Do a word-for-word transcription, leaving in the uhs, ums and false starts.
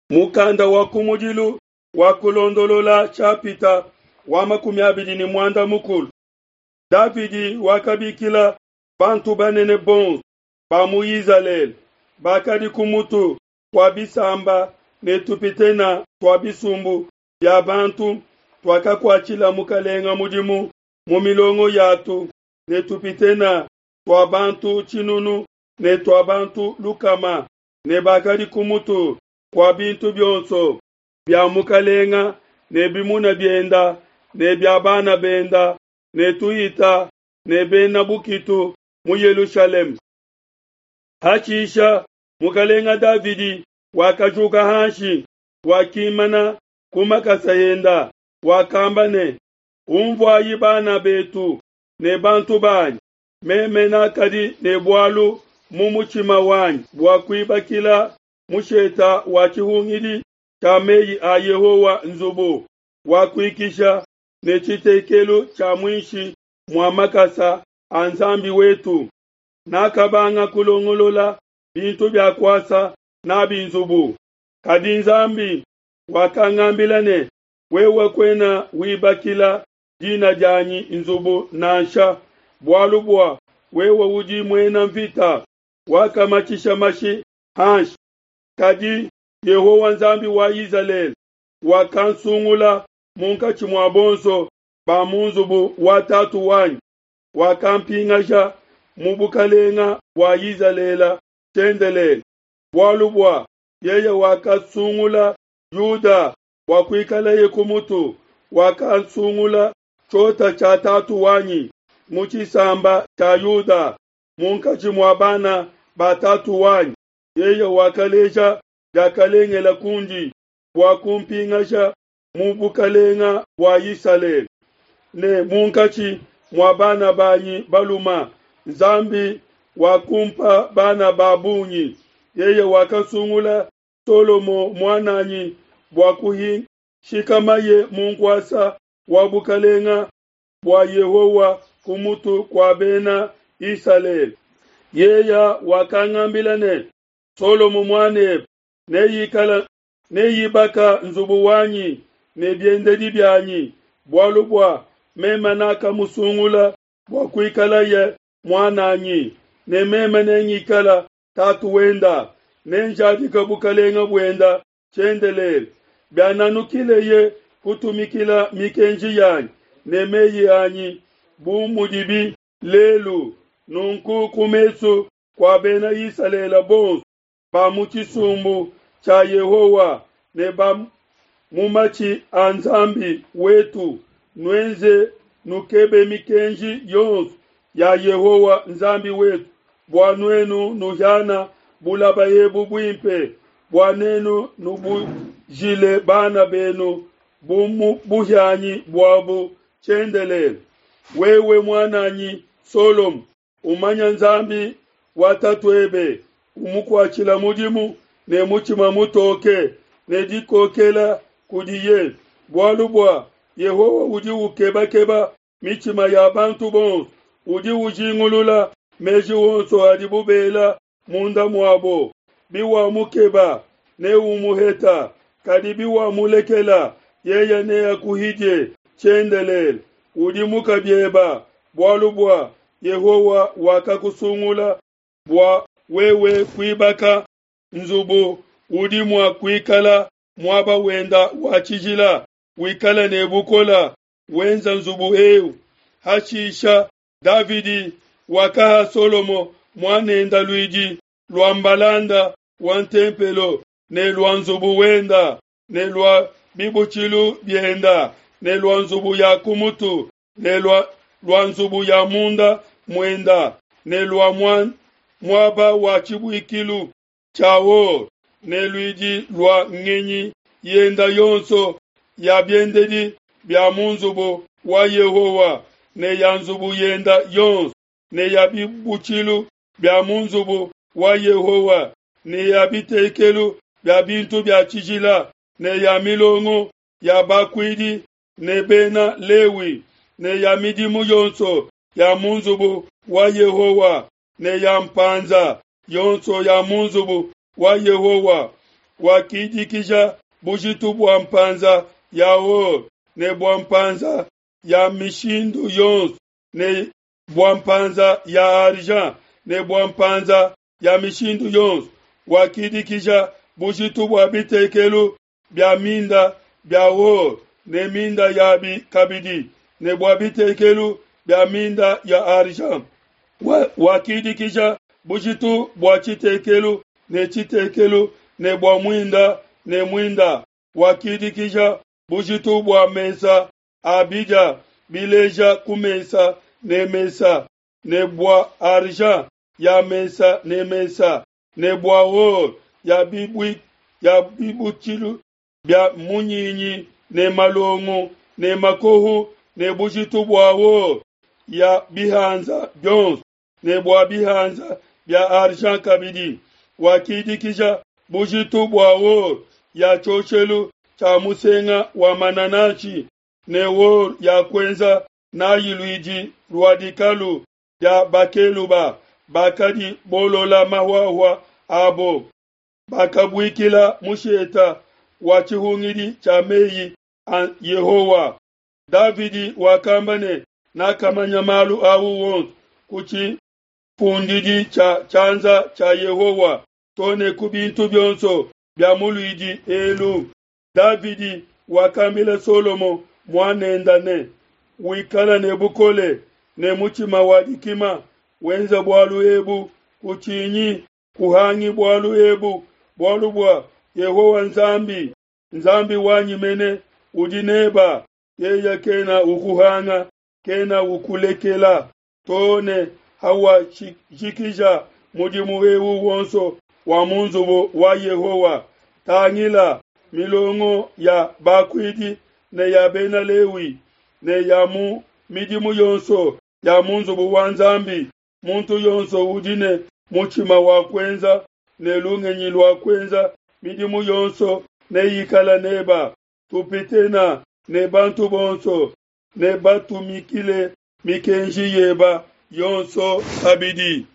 Mukanda wa kumudilu wa kulondolola nshapita wa makumi abidi ne muanda mukulu. Davidi wakabikila bantu banene bonso ba mu Izalele bakadi ku mutu kua bisamba ne tupitene tua bisumbu bia bantu tuakakuatshila mukelenge mudimu mu milongo yatu, ne tupitene tua bantu tshinunu ne tua bantu lukama, ne bakadi ku mutu kua bintu bionso bia mukelenge ne bimuna bienda ne bia bana benda ne tuhita ne bena bukitu mu Yelushalema. Hashisha mukelenge Davidi wakajuka hanshi, wakimana ku makasa enda, wakamba ne, Unvuai bana betu ne bantu banyi, meme nakadi ne bualu mu mutshima wanyi bua kuibakila mushete wa tshihungidi tshia mei a Yehowa nzubu wa kuikisha ne tshitekelu tshia muinshi mua makasa a Nzambi wetu. Nakabanga kulongolola bintu bia kuasa n'abi nzubu. Kadi Nzambi wakangambila ne, wewe kuena wibakila dina dianyi nzubu nansha, bualu bua wewe udi muena nvita, wakamatshisha mashi hanshi. Kadi Yehowa Nzambi wa Izalele wakansungula munkatshi mua bonso ba mu nzubu wa tatu wanyi, wakampingaja mu bukalenga bua Izalele tshiendelele, bualu bua yeye wakasungula Yuda bua kuikalaye ku mutu, wakasungula tshiota tshia tatu wanyi mu tshisamba tshia Yuda munkatshi mua bana ba tatu wanyi. Yeye wakaleja diakalengela kundi bua kumpingaja mu bukalenga bua Isalele ne munkatshi mua bana banyi baluma. Nzambi wakumpa bana ba bungi. Yeye wakasungula Solomo muananyi bua kushikamaye mu nkuasa wa bukalenga bua Yehowa ku mutu kua bena Isalele. Yeye wakangambila ne, Solomo muanebe neikala neibaka nzubu wanyi ne biendedi bianyi, bualu bua meme nakamusungula bua kuikalaye muananyi, ne meme nengikala tatu wenda, nenjadika bukalenga buenda tshiendelele. Biananukileye kutumikila mikenji yanyi ne meyi anyi bu mudibi lelu, nunku ku mesu kua bena Isalele bonso ba mu tshisumbu tshia Yehowa ne ba mu matshi a Nzambi wetu, nuenze nukebe mikenji yonso ya Yehowa Nzambi wetu, bua nuenu nuhiana bulaba ebu buimpe, bua nenu nubujile bana benu bu mu buhianyi buabu tshiendelele. Wewe muananyi Solomo, umanya Nzambi wa tatuebe, umukuatshila mudimu ne mutshima mutoke ne dikokela kudiye, bualu bua Yehowa udi ukebakeba mitshima ya bantu bonso, udi ujingulula meji onso adibu bela munda muabo. Biwamukeba neumuheta, kadi biwamulekela yeye neakuhidie tshiendelele. Udimuka bieba, bualu bua Yehowa wakakusungula bua wewe kuibaka nzubu udi mua kuikala muaba wenda wa tshijila, wikala ne bukola wenza nzubu eu. Hashisha Davidi wakaha Solomo muanenda luidi lua mbalanda wa ntempelo ne lua nzubu wenda ne lua bibutshilu bienda ne lua nzubu ya kumutu ne lua, lua nzubu ya munda muenda ne lua muaba wa tshibuikilu tshia or ne luidi lua ngenyi yenda yonso ya biendedi bia mu nzubu wa Yehowa ne ya nzubu yenda yonso ne ya bibutshilu bia mu nzubu wa Yehowa ne ya bitekelu bia bintu bia tshijila ne ya milongo ya bakuidi ne bena Lewi ne ya midimu yonso ya mu nzubu wa Yehowa ne ya mpanza yonso ya mu nzubu wa Yehowa. Wakidikija bujitu bua mpanza ya or ne bua mpanza ya mishindu yonso ne bua mpanza ya argent ne bua mpanza ya mishindu yonso. Wakidikija bujitu bua bitekelu bia minda bia or ne minda yabi kabidi ne bua bitekelu bia minda ya argent. Wakidikija bujitu bua tshitekelu ne tshitekelu ne bua muinda ne muinda. Wakidikija bujitu bua mesa a bidia bileja ku mesa ne mesa ne bua argent ya mesa ne mesa ne bua or ya bibui ya bibutshilu bia munyinyi ne malongo ne makohu ne bujitu bua or ya bihanza bionso ne bua bihanza bia argent kabidi. Wakidikija bujitu bua or ya tshioshelu tshia musenga wa manananshi ne or ya kuenza nayi luidi lua dikalu dia bakeluba bakadi bolola mahuahua abo. Bakabuikila musheta wa tshihungidi tshia meyi a Yehowa. Davidi wakamba ne, nakamanya malu au wonso ku tshifundidi tshia tshianza tshia Yehowa to ne ku bintu bionso bia mu luidi elu. Davidi wakambila Solomo muanende ne, wikala ne bukole ne mutshima wa dikima, wenza bualu ebu, kutshinyi, kuhangi bualu ebu, bualu bua Yehowa Nzambi, Nzambi wanyi mene, udi neba, yeye kena ukuhanga, kena ukulekela, to ne hawajikija mudimu eu wonso wa mu nzubu wa Yehowa. Tangila milongo ya bakuidi ne ya Bena Lewi ne ya mu midimu yonso ya mu nzubu wa Nzambi, muntu yonso udi ne mutshima wa kuenza ne lungenyi lua kuenza midimu yonso neyikala neba. Tupitena ne bantu bonso ne batumikile mikenji yeba yonso kabidi.